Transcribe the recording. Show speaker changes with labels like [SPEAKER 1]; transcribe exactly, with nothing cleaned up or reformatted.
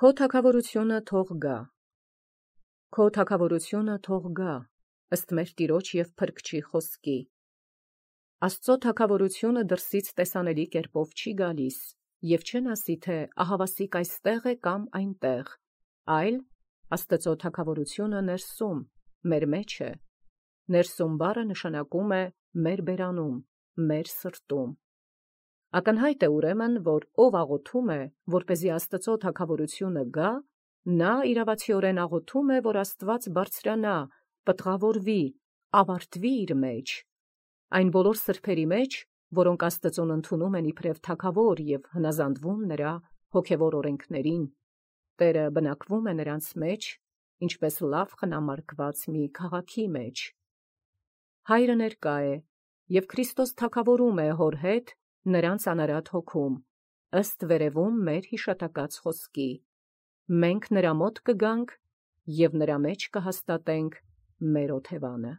[SPEAKER 1] Քո թագավորությունը թող գա, քո թագավորությունը թող գա, ըստ մեր Տիրոջ և Փրկչի խոսքի։ Աստծո թագավորությունը դրսից տեսանելի կերպով չի գալիս, և չեն ասի, թե ահավասիկ այստեղ է կամ այնտեղ, այլ Աստծո թագավորությունը ներսում, մեր մեջ է։ Ներսում բառը նշանակում է մեր բերանում, մեր սրտում։ Ակնհայտ է ուրեմն, որ ով աղոթում է, որպեսզի Աստծո թագավորությունը գա, նա իրավացիորեն աղոթում է, որ Աստված բարձրանա, պտղավորվի, ավարտվի իր մեջ։ Այն բոլոր սրբերի մեջ, որոնք Աստծուն ընդունում են իբրև թագավոր և հնազանդվում նրա հոգևոր օրենքներին, Տերը բնակվում է նրանց մեջ, ինչպես լավ խնամարկված մի քաղաքի մեջ։ Հայրը ներկա է, և Քրիստոս թագավորում է հոր հետ նրանց անարատ հոգում, ըստ վերևում մեր հիշատակած խոսքի։ Մենք նրա մոտ կգանք և նրա մեջ կհաստատենք մեր օթևանը։